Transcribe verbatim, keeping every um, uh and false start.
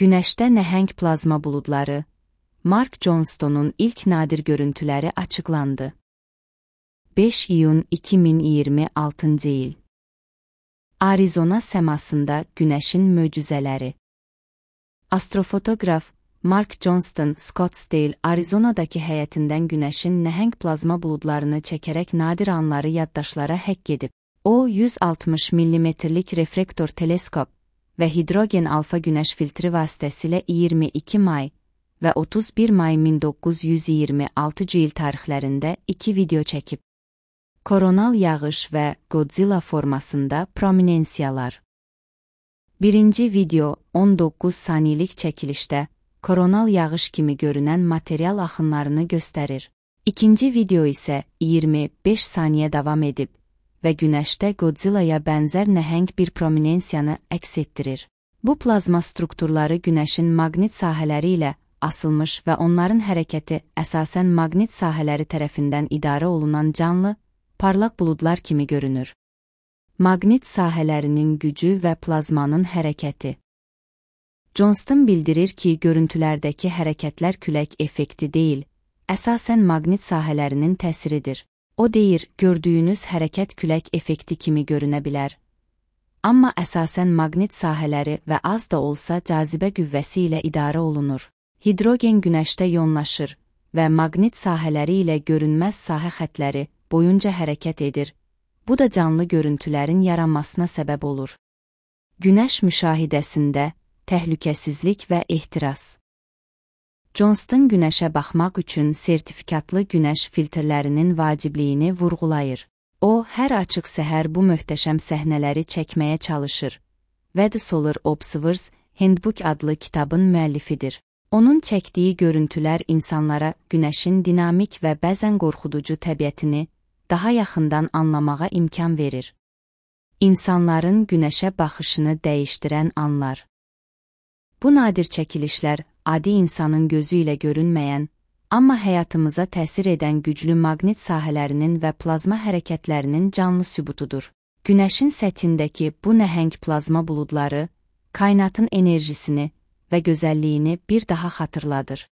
Günəşdə nəhəng plazma buludları, Mark Johnston'un ilk nadir görüntüləri açıqlandı. beş iyun iki min iyirmi altıncı il. Arizona səmasında günəşin möcüzələri. Astrofotoqraf Mark Johnston, Scottsdale, Arizonadakı həyətindən günəşin nəhəng plazma buludlarını çəkərək nadir anları yaddaşlara həkk edib. O, yüz altmış millimetrlik reflektor teleskop və hidrogen alfa günəş filtri vasitəsilə iyirmi iki may və otuz bir may min doqquz yüz iyirmi altıncı il tarixlərində iki video çəkib. Koronal yağış və Godzilla formasında prominensiyalar. Birinci video on doqquz saniyelik çəkilişdə koronal yağış kimi görünən material axınlarını göstərir. İkinci video isə iyirmi beş saniyə davam edib və günəşdə Godzilla'ya bənzər nəhəng bir prominensiyanı əks etdirir. Bu plazma strukturları günəşin maqnit sahələri ilə asılmış və onların hərəkəti əsasən maqnit sahələri tərəfindən idarə olunan canlı, parlaq buludlar kimi görünür. Maqnit sahələrinin gücü və plazmanın hərəkəti. Johnston bildirir ki, görüntülərdəki hərəkətlər külək effekti deyil, əsasən maqnit sahələrinin təsiridir. O deyir, gördüyünüz hərəkət külək effekti kimi görünə bilər. Amma əsasən maqnit sahələri və az da olsa cazibə qüvvəsi ilə idarə olunur. Hidrogen günəşdə yoğunlaşır və maqnit sahələri ilə görünməz sahə xətləri boyunca hərəkət edir. Bu da canlı görüntülərin yaranmasına səbəb olur. Günəş müşahidəsində təhlükəsizlik və ehtiras. Johnston günəşə baxmaq üçün sertifikatlı günəş filtrlərinin vacibliyini vurğulayır. O, hər açıq səhər bu möhtəşəm səhnələri çəkməyə çalışır. The Solar Observers Handbook adlı kitabın müəllifidir. Onun çəkdiyi görüntülər insanlara günəşin dinamik və bəzən qorxuducu təbiətini daha yaxından anlamağa imkan verir. İnsanların günəşə baxışını dəyişdirən anlar. Bu nadir çəkilişlər adi insanın gözü ilə görünməyən, amma həyatımıza təsir edən güclü maqnit sahələrinin və plazma hərəkətlərinin canlı sübutudur. Günəşin səthindəki bu nəhəng plazma buludları, kainatın enerjisini və gözəlliyini bir daha xatırladır.